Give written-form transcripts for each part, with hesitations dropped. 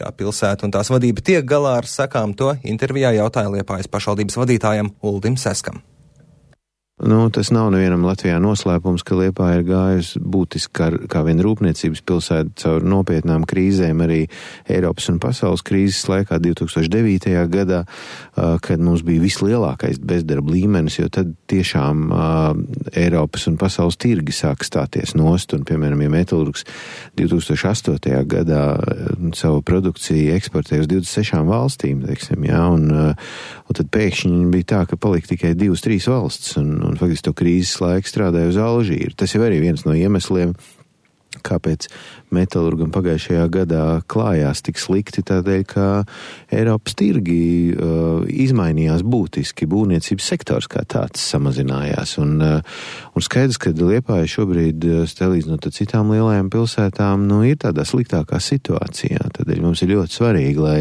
kā pilsēta un tās vadība tiek galā ar sakām, to intervijā jautāja Liepājas pašvaldības vadītājam Uldim Seskam. Tas nav nevienam Latvijā noslēpums, ka Liepāja ir gājusi būtiski kā viena rūpniecības pilsēta caur nopietnām krīzēm arī Eiropas un pasaules krīzes laikā 2009. Gadā, kad mums bija vislielākais bezdarba līmenis, jo tad tiešām Eiropas un pasaules tirgi sāka stāties nost, un, piemēram, ja metalurgs 2008. Gadā savu produkciju eksportēja uz 26 valstīm, teiksim, jā, un tad pēkšņi bija tā, ka palika tikai 2-3 valsts, un faktiski to krīzes laiku strādāja uz Alžīru. Tas jau arī viens no iemesliem, kāpēc metalurgam pagājušajā gadā klājās tik slikti, tādēļ, ka Eiropas tirgi izmainījās būtiski, būvniecības sektors kā tāds samazinājās. Un skaidrs, ka Liepāja šobrīd, salīdzinot ar citām lielajām pilsētām, ir tādā sliktākā situācijā. Tādēļ mums ir ļoti svarīgi, lai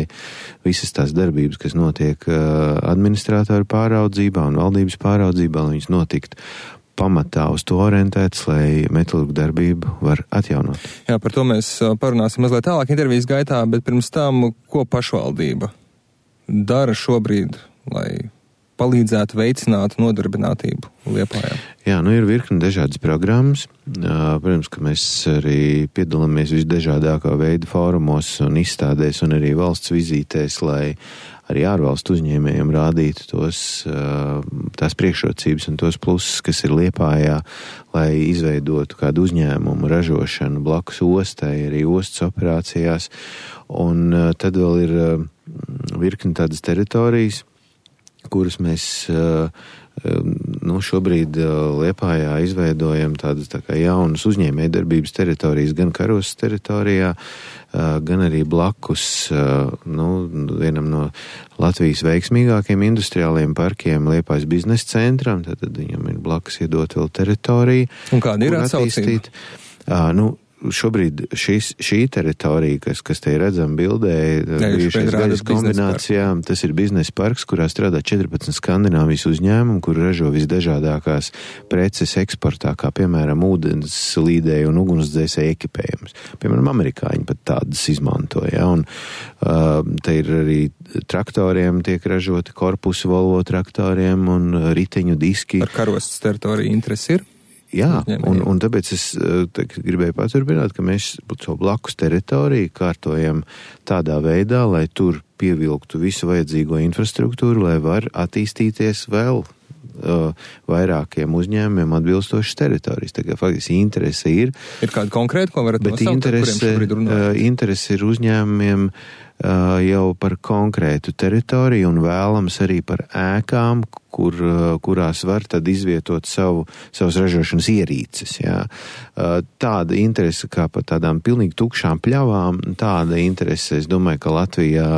visas tās darbības, kas notiek administrātoru pāraudzībā un valdības pāraudzībā, lai viņas notikt pamatā uz to orientēts, lai metalurgu darbību var atjaunot. Jā, par to mēs parunāsim mazliet tālāk intervijas gaitā, bet pirms tam, ko pašvaldība dara šobrīd, lai palīdzētu veicināt nodarbinātību Liepājā? Jā, ir virkni dažādas programmas. Protams, ka mēs arī piedalāmies visdažādākā veida fórumos un izstādēs un arī valsts vizītēs, lai arī ārvalstu uzņēmējiem rādītu tās priekšrocības un tos plusus, kas ir Liepājā, lai izveidotu kādu uzņēmumu ražošanu blakus ostai, arī ostas operācijās. Un tad vēl ir virkni tādas teritorijas, kuras mēs šobrīd Liepājā izveidojam tādas tā kā jaunas uzņēmējdarbības teritorijas gan Karostas teritorijā, gan arī blakus vienam no Latvijas veiksmīgākiem industriāliem parkiem Liepājas biznesa centram, tad viņam ir blakus iedot vēl teritoriju. Un kāda ir atsaucība? Šobrīd šī teritorija, kas te ir redzama bildē, bijušais gaļas kombinācijā, tas ir biznesa parks, kurā strādā 14 Skandināvijas uzņēmumu, kur ražo visdažādākās preces eksportā, kā piemēram ūdens līdēju un ugunsdzēsēju ekipējums. Piemēram, amerikāņi pat tādas izmantoja, un te ir arī traktoriem tiek ražoti korpusu Volvo traktoriem un riteņu diski. Par Karostas teritoriju interesi ir? Jā, un tāpēc es gribēju paturpināt, ka mēs savu blakus teritoriju kārtojam tādā veidā, lai tur pievilktu visu vajadzīgo infrastruktūru, lai var attīstīties vēl vairākiem uzņēmumiem atbilstošas teritorijas. Tā kā faktiski interese ir. Ir kāda konkrēta, ko varat nosaukt, kuriem šobrīd runājat? Interese ir uzņēmumiem jau par konkrētu teritoriju un vēlams arī par ēkām, kurās var tad izvietot savas ražošanas ierīces. Jā. Tāda interese kā par tādām pilnīgi tukšām pļavām, tāda interese, es domāju, ka Latvijā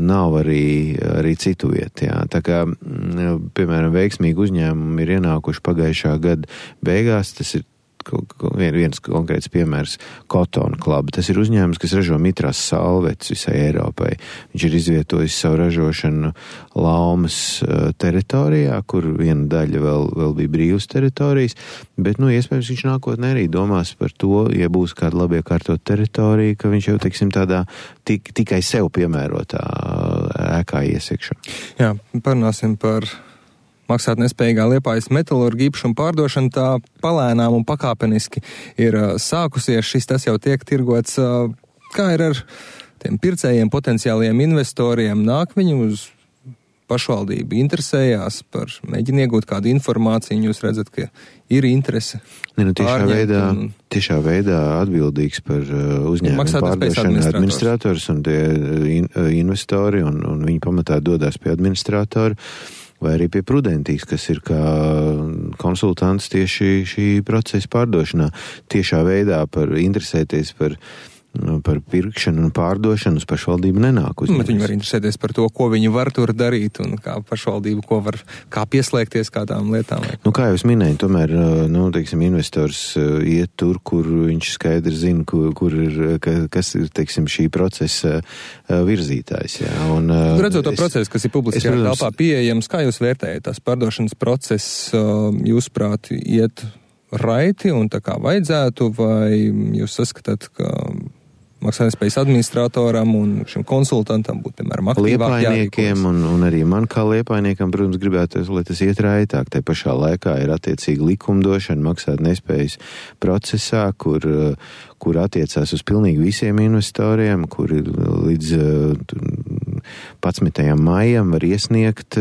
nav arī citu vietu. Jā. Tā kā, piemēram, veiksmīgi uzņēmumi ir ienākuši pagājušā gada beigās, tas ir viens konkrēts piemērs Cotton Club. Tas ir uzņēmums, kas ražo mitrās salvetes visai Eiropai. Viņš ir izvietojis savu ražošanu Laumas teritorijā, kur viena daļa vēl bija brīvas teritorijas, bet, iespējams, viņš nākotnē arī domās par to, ja būs kāda labi iekārtot teritorija, ka viņš jau, teiksim, tādā tikai sev piemērotā ēkā iesiekšu. Jā, parunāsim par maksāt nespējīgā Liepājas metalurga īpašuma pārdošana, tā palēnām un pakāpeniski ir sākusies. Tas jau tiek tirgots. Kā ir ar tiem pircējiem, potenciāliem investoriem? Nāk viņi uz pašvaldību, interesējās par, mēģina iegūt kādu informāciju, jūs redzat, ka ir interese. Tiešā veidā atbildīgs par uzņēmumu pārdošanu administrators un tie investori, un viņi pamatā dodās pie administratora, vai arī pie Prudentīs, kas ir kā konsultants tieši šī procesa pārdošanā. Tiešā veidā interesēties par pirkšanu un pārdošanu uz pašvaldību nenāk uzņēmums. Viņi var interesēties par to, ko viņi var tur darīt un kā pašvaldību, kā pieslēgties kādām lietām. Kā jau es minēju, tomēr, investors iet tur, kur viņš skaidri zina, kas ir, šī procesa virzītājs. Jā. Un, redzot to procesu, kas ir publiskajā telpā pieejams, kā jūs vērtējat tās pārdošanas process, jūsuprāt, iet raiti un tā kā vajadzētu, vai jūs saskatāt, ka maksātnespējas administratoram un šim konsultantam būtu, piemēram, aktīvāk Liepājniekiem un arī man kā liepājniekam, protams, gribētu, lai tas iet raitāk. Te pašā laikā ir attiecīgi likumdošana maksātnespējas procesā, kur attiecās uz pilnīgi visiem investoriem, kuri līdz 11. maijam var iesniegt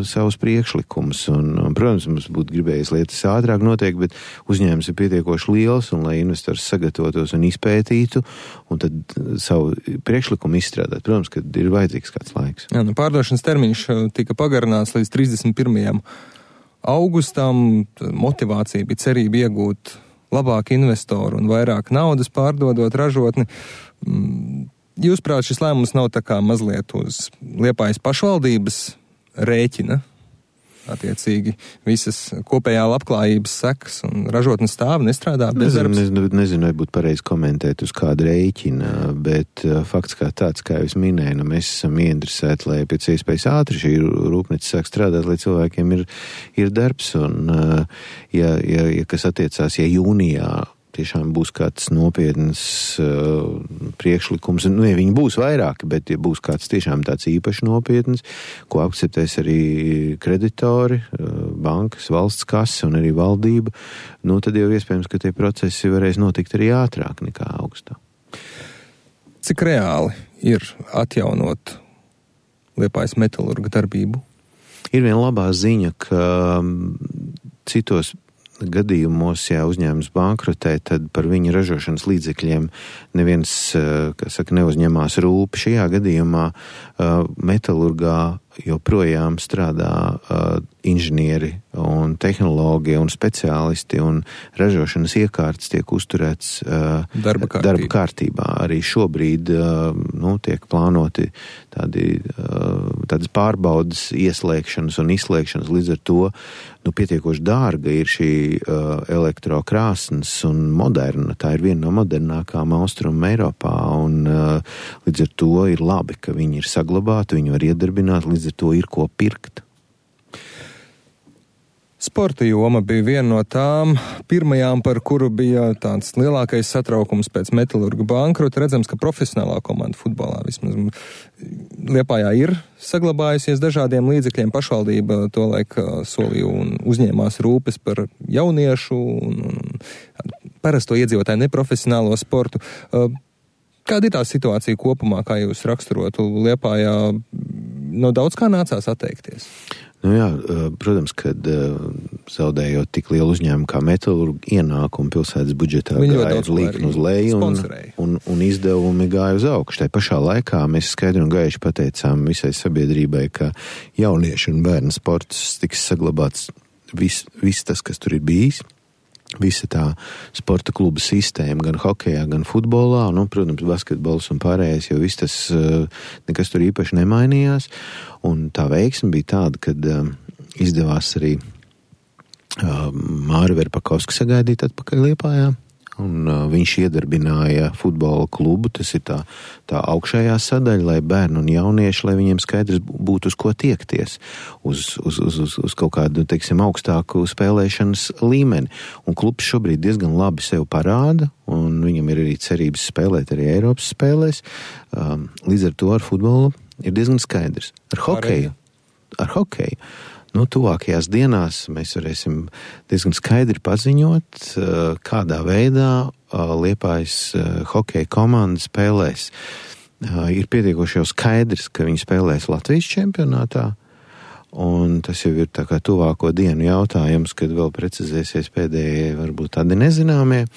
savus priekšlikumus. Un, protams, mums būtu gribējis lietas ātrāk noteikti, bet uzņēmums ir pietiekoši liels, un lai investors sagatavotos un izpētītu, un tad savu priekšlikumu izstrādāt. Protams, ka ir vajadzīgs kāds laiks. Jā, pārdošanas termiņš tika pagarināts līdz 31. augustam. Motivācija bija cerība iegūt labāku investoru un vairāk naudas pārdodot ražotni. Jūsuprāt, šis lēmums nav tā kā mazliet uz Liepājas pašvaldības rēķina, attiecīgi visas kopējā labklājības sekas un ražotnes stāv nestrādā bezdarbs? Nezinu, vai būtu pareizi komentēt uz kādu rēķina, bet fakts kā tāds, kā jau es minēju, mēs esam ieinteresēti, lai pēc iespējas ātri šī rūpnīca sāk strādāt, lai cilvēkiem ir darbs, un ja kas attiecās, ja jūnijā tiešām būs kāds nopietns priekšlikums, ja viņi būs vairāki, bet ja būs kāds tiešām tāds īpaši nopietns, ko akceptēs arī kreditori, bankas, valsts kase un arī valdība, tad jau iespējams, ka tie procesi varēs notikt arī ātrāk nekā augustā. Cik reāli ir atjaunot Liepājas metalurga darbību? Ir viena labā ziņa, ka citos gadījumos, ja uzņēmums bankrotē, tad par viņa ražošanas līdzekļiem neviens, neuzņemās rūpi. Šajā gadījumā metalurgā joprojām strādā inženieri un tehnologi un speciālisti, un ražošanas iekārtas tiek uzturēts darba kārtībā. Arī šobrīd tiek plānoti tādas pārbaudas ieslēgšanas un izslēgšanas, līdz ar to pietiekoši dārga ir šī elektrokrāsnes un moderna. Tā ir viena no modernākām austrumu Eiropā, un līdz ar to ir labi, ka viņi ir saglabāti, viņi var iedarbināt, līdz ar to ir ko pirkt. Sporta joma bija viena no tām pirmajām, par kuru bija tāds lielākais satraukums pēc metalurga bankrota. Redzams, ka profesionālā komanda futbolā vismaz Liepājā ir saglabājusies dažādiem līdzekļiem. Pašvaldība tolaik solīja un uzņēmās rūpes par jauniešu un parasto iedzīvotāju neprofesionālo sportu. Kāda ir tā situācija kopumā, kā jūs raksturotu Liepājā? Daudz kā nācās atteikties? Protams, kad zaudējot tik lielu uzņēmumu kā metalurgu, ienākumu pilsētas budžetā gāja līkni uz leju un izdevumi gāja uz augšu. Tai pašā laikā mēs skaidri un gaiši pateicām visai sabiedrībai, ka jauniešu un bērnu sports tiks saglabāts viss tas, kas tur ir bijis. Visa tā sporta kluba sistēma, gan hokejā, gan futbolā, protams, basketbols un pārējais, jo viss tas nekas tur īpaši nemainījās. Un tā veiksme bija tāda, kad izdevās arī Māri Verpakovski sagaidīt atpakaļ Liepājā. Un viņš iedarbināja futbola klubu, tas ir tā augšējā sadaļa, lai bērni un jaunieši, lai viņiem skaidrs būtu uz ko tiekties, uz kaut kādu, augstāku spēlēšanas līmeni. Un klubs šobrīd diezgan labi sev parāda, un viņam ir arī cerības spēlēt arī Eiropas spēlēs. Līdz ar to ar futbolu ir diezgan skaidrs. Ar hokeju. Tuvākajās dienās mēs varēsim diezgan skaidri paziņot, kādā veidā Liepājas hokeja komanda spēlēs. Ir pietiekoši jau skaidrs, ka viņi spēlēs Latvijas čempionātā, un tas jau ir tā kā tuvāko dienu jautājums, kad vēl precizēsies pēdējie varbūt tādi nezināmie.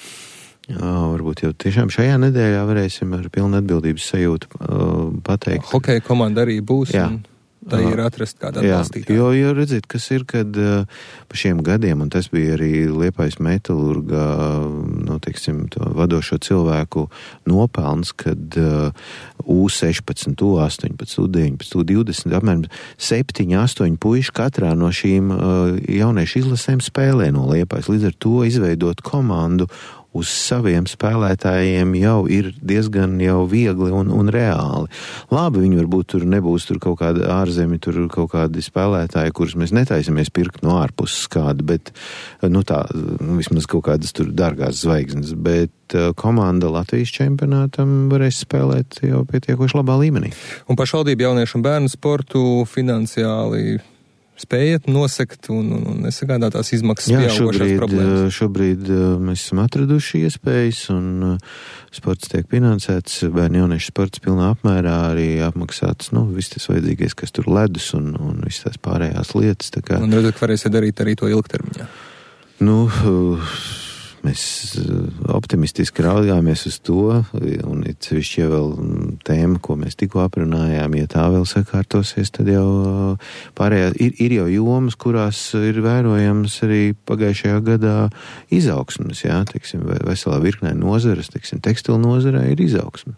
Varbūt jau tiešām šajā nedēļā varēsim ar pilnu atbildības sajūtu pateikt. Hokeja komanda arī būs. Jā. Tā ir atrast kādā atbalstītājā. Jo redziet, kas ir, kad pa šiem gadiem, un tas bija arī Liepājas metalurga, to vadošo cilvēku nopelns, kad U16, U18, U19, U20, apmēram 7-8 puiši katrā no šīm jauniešu izlasēm spēlē no Liepājas. Līdz ar to izveidot komandu uz saviem spēlētājiem jau ir diezgan jau viegli un reāli. Labi, viņi varbūt tur nebūs tur kaut kāda ārzemi, tur kaut kādi spēlētāji, kurus mēs netaisamies pirkt no ārpuses kādu, bet, vismaz kaut kādas tur dārgās zvaigznes, bet komanda Latvijas čempionātam varēs spēlēt jau pietiekoši labā līmenī. Un pašvaldība jauniešu un bērnu sportu finansiāli spējat nosekt un nesagādā tās izmaksas pieaugošās problēmas? Šobrīd mēs esam atraduši iespējas un sports tiek finansēts, bērnu jauniešu sports pilnā apmērā, arī apmaksāts, viss tas vajadzīgais, kas tur ledus un viss tās pārējās lietas. Tā kā, un redzat, ka varēsiet darīt arī to ilgtermiņā? Mēs optimistiski raugāmies uz to, un ir sevišķi jau vēl tēma, ko mēs tikko aprunājām, ja tā vēl sakārtosies, tad jau pārējā ir jau jomas, kurās ir vērojams arī pagājušajā gadā izaugsmes, teiksim, veselā virknē nozares, teiksim, tekstilu nozarē ir izaugsme.